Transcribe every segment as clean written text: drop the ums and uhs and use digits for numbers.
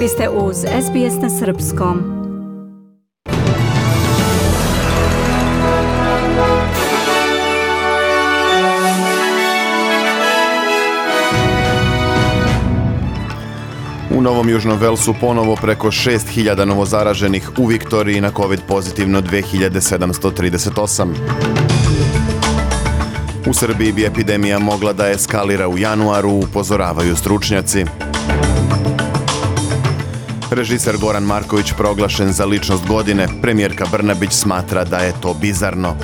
Vi ste uz SBS na srpskom. U Novom Južnom Velsu ponovo preko 6.000 novozaraženih, u Viktoriji na COVID pozitivno 2.738. U Srbiji bi epidemija mogla da eskalira u januaru, upozoravaju stručnjaci. Režiser Goran Marković proglašen za ličnost godine, premijerka Brnabić smatra da je to bizarno.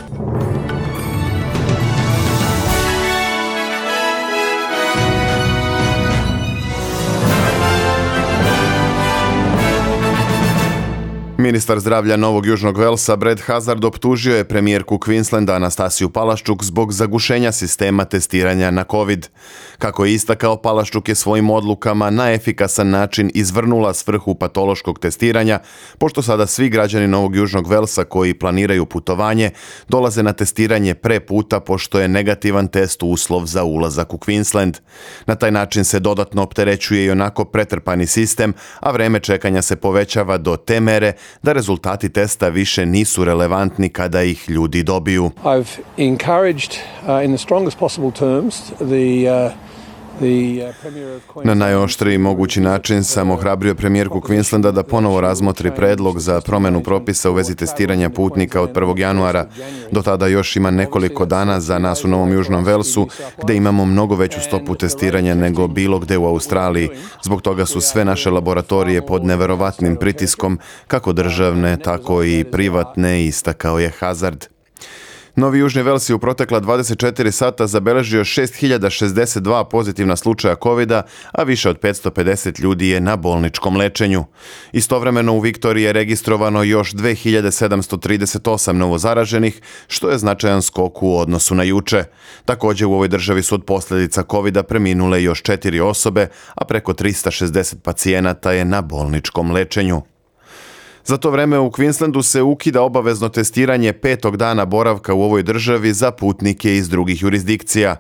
Ministar zdravlja Novog Južnog Velsa Brad Hazzard optužio je premijerku Queenslanda Anastasiju Palaščuk zbog zagušenja sistema testiranja na COVID. Kako je istakao, Palaščuk je svojim odlukama na efikasan način izvrnula svrhu patološkog testiranja, pošto sada svi građani Novog Južnog Velsa koji planiraju putovanje dolaze na testiranje pre puta, pošto je negativan test uslov za ulazak u Queensland. Na taj način se dodatno opterećuje i onako pretrpani sistem, a vreme čekanja se povećava do te mere da rezultati testa više nisu relevantni kada ih ljudi dobiju. I've encouraged in the strongest possible terms Na najoštriji mogući način sam ohrabrio premijerku Queenslanda da ponovo razmotri predlog za promjenu propisa u vezi testiranja putnika od 1. januara. Do tada još ima nekoliko dana za nas u Novom Južnom Velsu, gdje imamo mnogo veću stopu testiranja nego bilo gdje u Australiji. Zbog toga su sve naše laboratorije pod neverovatnim pritiskom, kako državne, tako i privatne, istakao je Hazzard. Novi Južni Vels je u protekla 24 sata zabeležio 6.062 pozitivna slučaja COVID-a, a više od 550 ljudi je na bolničkom lečenju. Istovremeno u Viktoriji je registrovano još 2.738 novozaraženih, što je značajan skok u odnosu na juče. Također u ovoj državi su od posljedica COVID-a preminule još 4 osobe, a preko 360 pacijenata je na bolničkom lečenju. Za to vreme u Queenslandu se ukida obavezno testiranje 5. dana boravka u ovoj državi za putnike iz drugih jurisdikcija.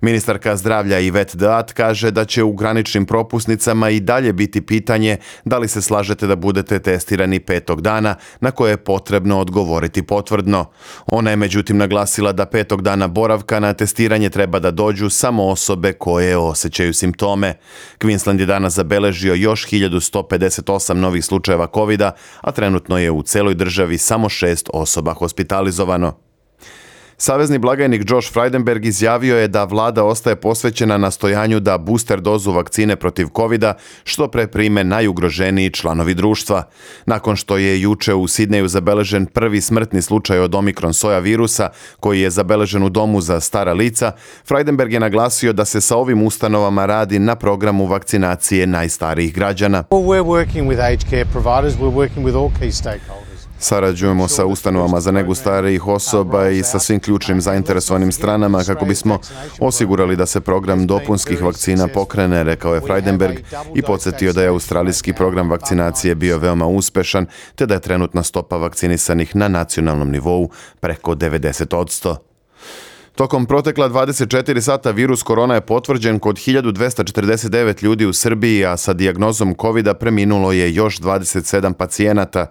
Ministarka zdravlja Yvette D'Ath kaže da će u graničnim propusnicama i dalje biti pitanje da li se slažete da budete testirani 5. dana, na koje je potrebno odgovoriti potvrdno. Ona je međutim naglasila da 5. dana boravka na testiranje treba da dođu samo osobe koje osjećaju simptome. Queensland je danas zabeležio još 1.158 novih slučajeva COVID-a, a trenutno je u celoj državi samo 6 osoba hospitalizovano. Savezni blagajnik Josh Frydenberg izjavio je da vlada ostaje posvećena nastojanju da booster dozu vakcine protiv COVID-a što pre prime najugroženiji članovi društva. Nakon što je juče u Sidneju zabeležen prvi smrtni slučaj od Omikron soja virusa, koji je zabeležen u domu za stara lica, Frydenberg je naglasio da se sa ovim ustanovama radi na programu vakcinacije najstarijih građana. Sarađujemo sa ustanovama za negu starijih osoba i sa svim ključnim zainteresovanim stranama kako bismo osigurali da se program dopunskih vakcina pokrene, rekao je Frydenberg i podsjetio da je australijski program vakcinacije bio veoma uspešan, te da je trenutna stopa vakcinisanih na nacionalnom nivou preko 90%. Tokom protekla 24 sata virus korona je potvrđen kod 1249 ljudi u Srbiji, a sa dijagnozom COVID-a preminulo je još 27 pacijenata.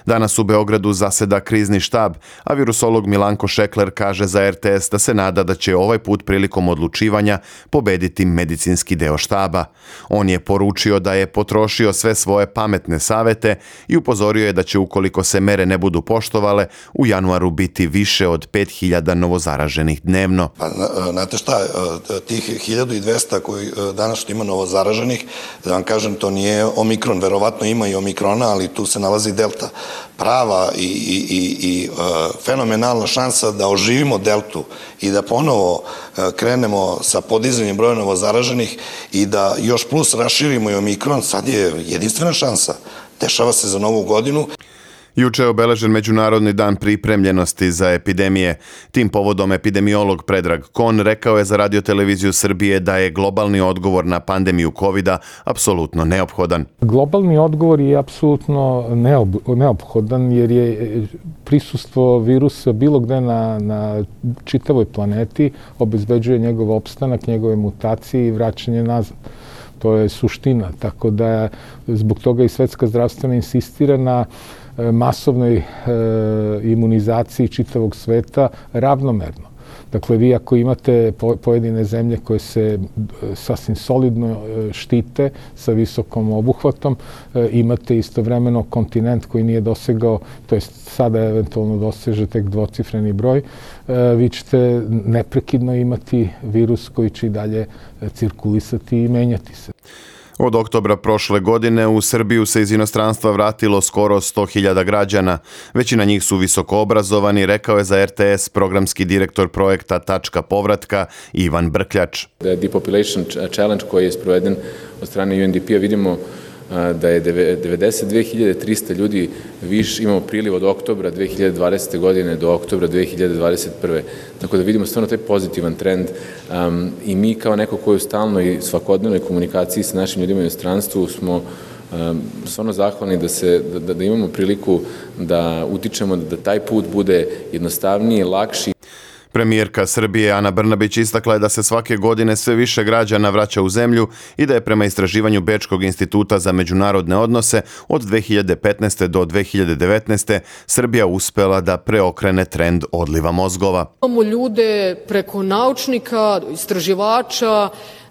Danas u Beogradu zaseda krizni štab, a virusolog Milanko Šekler kaže za RTS da se nada da će ovaj put prilikom odlučivanja pobediti medicinski deo štaba. On je poručio da je potrošio sve svoje pametne savete i upozorio je da će, ukoliko se mere ne budu poštovale, u januaru biti više od 5.000 novozaraženih dnevno. Pa, znate šta, tih 1200 koji danas što ima novozaraženih, da vam kažem, to nije Omikron, verovatno ima i Omikrona, ali tu se nalazi Delta. Prava i fenomenalna šansa da oživimo Deltu i da ponovo krenemo sa podizanjem broja novozaraženih i da još plus raširimo i Omikron, sad je jedinstvena šansa. Dešava se za Novu godinu. Juče je obeležen Međunarodni dan pripremljenosti za epidemije. Tim povodom epidemiolog Predrag Kon rekao je za Radio-televiziju Srbije da je globalni odgovor na pandemiju COVID-a apsolutno neophodan. Globalni odgovor je apsolutno neophodan jer je prisustvo virusa bilo gde na čitavoj planeti obezbeđuje njegov opstanak, njegove mutacije i vraćanje nazad. To je suština, tako da zbog toga i Svetska zdravstvena insistira na masovnoj imunizaciji čitavog sveta ravnomerno. Dakle, vi ako imate pojedine zemlje koje se sasvim solidno štite sa visokom obuhvatom, imate istovremeno kontinent koji nije dosegao, to jest sada eventualno doseže tek dvocifreni broj, vi ćete neprekidno imati virus koji će i dalje cirkulisati i menjati se. Od oktobra prošle godine u Srbiju se iz inostranstva vratilo skoro 100.000 građana. Većina njih su visoko obrazovani, rekao je za RTS programski direktor projekta Tačka povratka Ivan Brkljač. Depopulation challenge koji je sproveden od strane UNDP-a vidimo da je 92.300 ljudi više imamo priliv od oktobra 2020. godine do oktobra 2021. Tako da vidimo stvarno taj pozitivan trend i mi kao neko koji u stalnoj svakodnevnoj komunikaciji sa našim ljudima u inostranstvu smo stvarno zahvalni da imamo priliku da utičemo da taj put bude jednostavniji, lakši. Premijerka Srbije Ana Brnabić istakla je da se svake godine sve više građana vraća u zemlju i da je prema istraživanju Bečkog instituta za međunarodne odnose od 2015. do 2019. Srbija uspela da preokrene trend odliva mozgova. Imamo ljude preko naučnika, istraživača,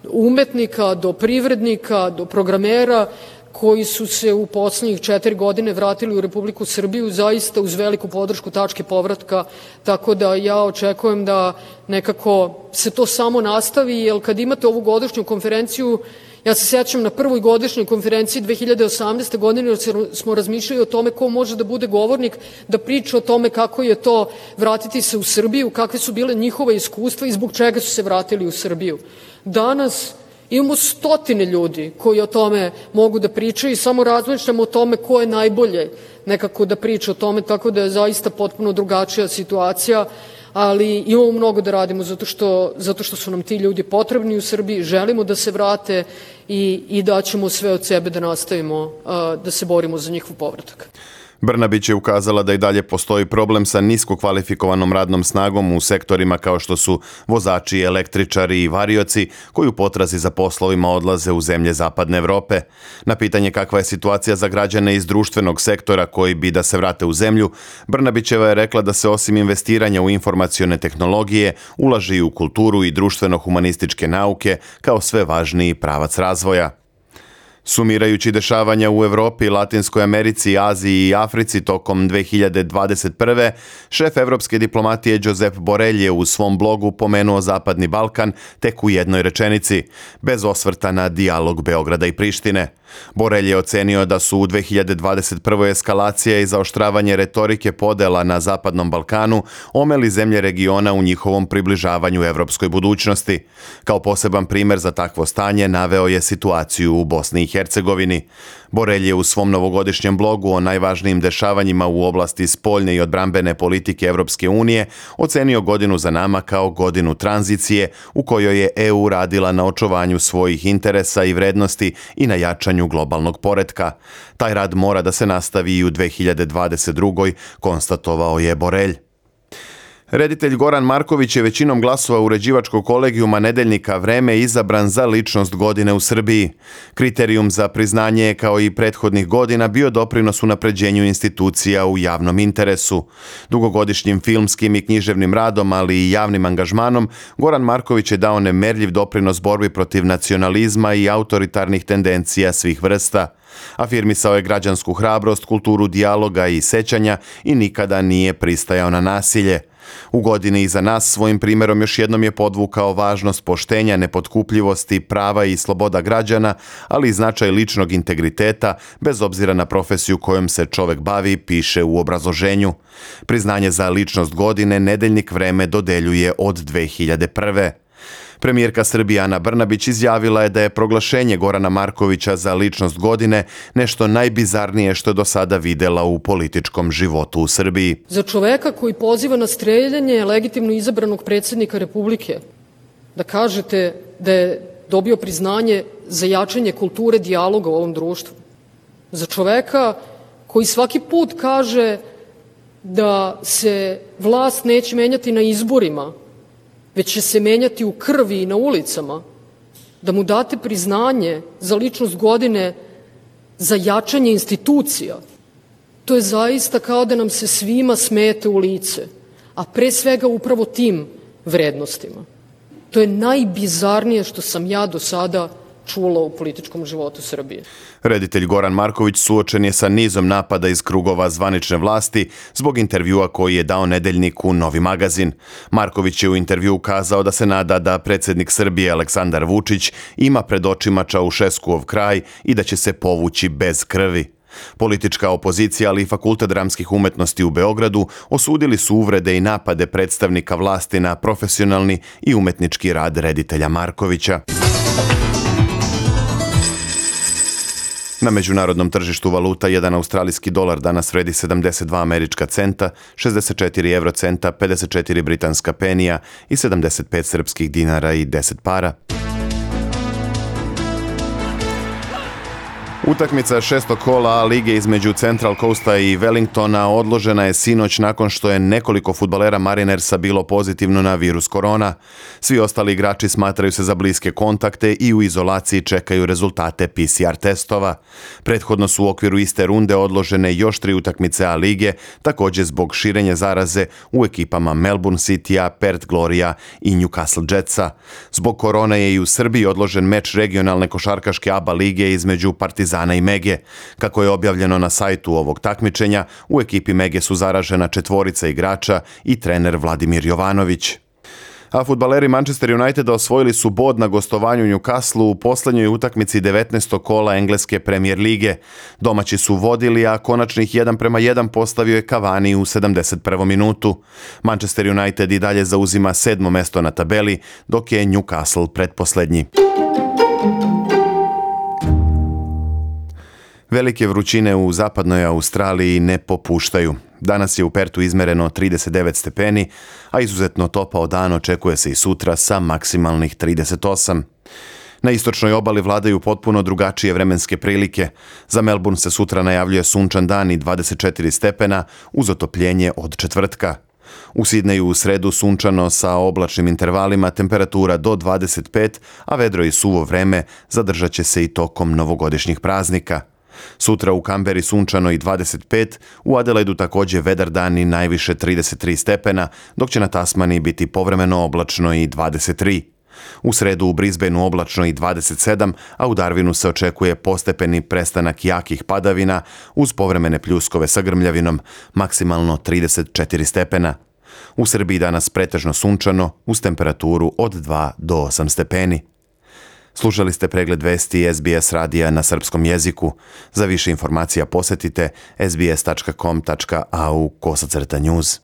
umetnika, do privrednika, do programera, koji su se u poslednjih 4 godine vratili u Republiku Srbiju zaista uz veliku podršku Tačke povratka, tako da ja očekujem da nekako se to samo nastavi, jer kad imate ovu godišnju konferenciju, ja se sećam na prvoj godišnjoj konferenciji 2018. godine, jer smo razmišljali o tome ko može da bude govornik, da priča o tome kako je to vratiti se u Srbiju, kakve su bile njihova iskustva i zbog čega su se vratili u Srbiju. Danas imamo stotine ljudi koji o tome mogu da pričaju i samo razmišljamo o tome ko je najbolje nekako da priča o tome, tako da je zaista potpuno drugačija situacija, ali imamo mnogo da radimo zato što su nam ti ljudi potrebni u Srbiji, želimo da se vrate i daćemo sve od sebe da nastavimo da se borimo za njihov povratak. Brnabić je ukazala da i dalje postoji problem sa nisko kvalifikovanom radnom snagom u sektorima kao što su vozači, električari i varioci koji u potrazi za poslovima odlaze u zemlje Zapadne Evrope. Na pitanje kakva je situacija za građane iz društvenog sektora koji bi da se vrate u zemlju, Brnabićeva je rekla da se osim investiranja u informacione tehnologije ulaže i u kulturu i društveno-humanističke nauke kao sve važniji pravac razvoja. Sumirajući dešavanja u Evropi, Latinskoj Americi, Aziji i Africi tokom 2021. šef evropske diplomatije Josep Borrell je u svom blogu pomenuo Zapadni Balkan tek u jednoj rečenici, bez osvrta na dijalog Beograda i Prištine. Borrell je ocenio da su u 2021. eskalacija i zaoštravanje retorike podela na Zapadnom Balkanu omeli zemlje regiona u njihovom približavanju evropskoj budućnosti. Kao poseban primer za takvo stanje naveo je situaciju u Bosni i Hercegovini. Borrell je u svom novogodišnjem blogu o najvažnijim dešavanjima u oblasti spoljne i odbrambene politike Evropske unije ocenio godinu za nama kao godinu tranzicije u kojoj je EU radila na očuvanju svojih interesa i vrednosti i na jačanju globalnog poretka. Taj rad mora da se nastavi i u 2022. konstatovao je Borrell. Reditelj Goran Marković je većinom glasova uređivačkog kolegijuma nedeljnika Vreme izabran za ličnost godine u Srbiji. Kriterijum za priznanje je kao i prethodnih godina bio doprinos unapređenju institucija u javnom interesu. Dugogodišnjim filmskim i književnim radom, ali i javnim angažmanom, Goran Marković je dao nemerljiv doprinos borbi protiv nacionalizma i autoritarnih tendencija svih vrsta. Afirmisao je građansku hrabrost, kulturu dijaloga i sećanja i nikada nije pristajao na nasilje. U godini iza nas svojim primjerom još jednom je podvukao važnost poštenja, nepotkupljivosti, prava i sloboda građana, ali i značaj ličnog integriteta, bez obzira na profesiju kojom se čovek bavi, piše u obrazloženju. Priznanje za ličnost godine nedeljnik Vreme dodeljuje od 2001. Premijerka Srbije Ana Brnabić izjavila je da je proglašenje Gorana Markovića za ličnost godine nešto najbizarnije što je do sada videla u političkom životu u Srbiji. Za čoveka koji poziva na streljanje legitimno izabranog predsjednika Republike, da kažete da je dobio priznanje za jačanje kulture dijaloga u ovom društvu. Za čoveka koji svaki put kaže da se vlast neće menjati na izborima, već će se menjati u krvi i na ulicama, da mu date priznanje za ličnost godine za jačanje institucija, to je zaista kao da nam se svima smete u lice, a pre svega upravo tim vrednostima. To je najbizarnije što sam ja do sada čula u političkom životu Srbije. Reditelj Goran Marković suočen je sa nizom napada iz krugova zvanične vlasti zbog intervjua koji je dao nedeljniku Novi magazin. Marković je u intervjuu kazao da se nada da predsjednik Srbije Aleksandar Vučić ima pred očima Čaušeskuov kraj i da će se povući bez krvi. Politička opozicija, ali i Fakultet dramskih umetnosti u Beogradu osudili su uvrede i napade predstavnika vlasti na profesionalni i umetnički rad reditelja Markovića. Na međunarodnom tržištu valuta jedan australijski dolar danas vredi 72 američka centa, 64 eurocenta, 54 britanska penija i 75 srpskih dinara i 10 para. Utakmica šestog kola A lige između Central Coasta i Wellingtona odložena je sinoć nakon što je nekoliko fudbalera Marinersa bilo pozitivno na virus korona. Svi ostali igrači smatraju se za bliske kontakte i u izolaciji čekaju rezultate PCR testova. Prethodno su u okviru iste runde odložene još 3 utakmice A lige, također zbog širenja zaraze u ekipama Melbourne Citya, Perth Gloria i Newcastle Jetsa. Zbog korone je i u Srbiji odložen meč regionalne košarkaške ABA lige između Partizana i Mege. Kako je objavljeno na sajtu ovog takmičenja, u ekipi Mege su zaražena 4 igrača i trener Vladimir Jovanović. A fudbaleri Manchester Uniteda osvojili su bod na gostovanju Newcastle u posljednjoj utakmici 19. kola engleske Premier lige. Domaći su vodili, a konačnih 1:1 postavio je Cavani u 71. minutu. Manchester United i dalje zauzima 7. mesto na tabeli, dok je Newcastle pretposlednji. Velike vrućine u zapadnoj Australiji ne popuštaju. Danas je u Pertu izmereno 39 stepeni, a izuzetno topao dan očekuje se i sutra sa maksimalnih 38. Na istočnoj obali vladaju potpuno drugačije vremenske prilike. Za Melbourne se sutra najavljuje sunčan dan i 24 stepena uz otopljenje od četvrtka. U Sidneju u sredu sunčano sa oblačnim intervalima, temperatura do 25, a vedro i suvo vreme zadržat će se i tokom novogodišnjih praznika. Sutra u Kamberi sunčano i 25, u Adelaidu također vedar dan i najviše 33 stepena, dok će na Tasmaniji biti povremeno oblačno i 23. U sredu u Brisbaneu oblačno i 27, a u Darwinu se očekuje postepeni prestanak jakih padavina uz povremene pljuskove sa grmljavinom, maksimalno 34 stepena. U Srbiji danas pretežno sunčano uz temperaturu od 2 do 8 stepeni. Slušali ste pregled vesti SBS radija na srpskom jeziku. Za više informacija posjetite sbs.com.au/news.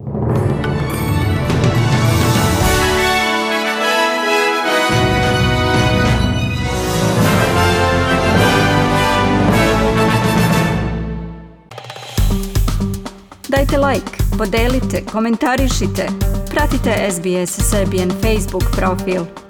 Dajte like, podelite, komentarišite. Pratite SBS Serbian Facebook profil.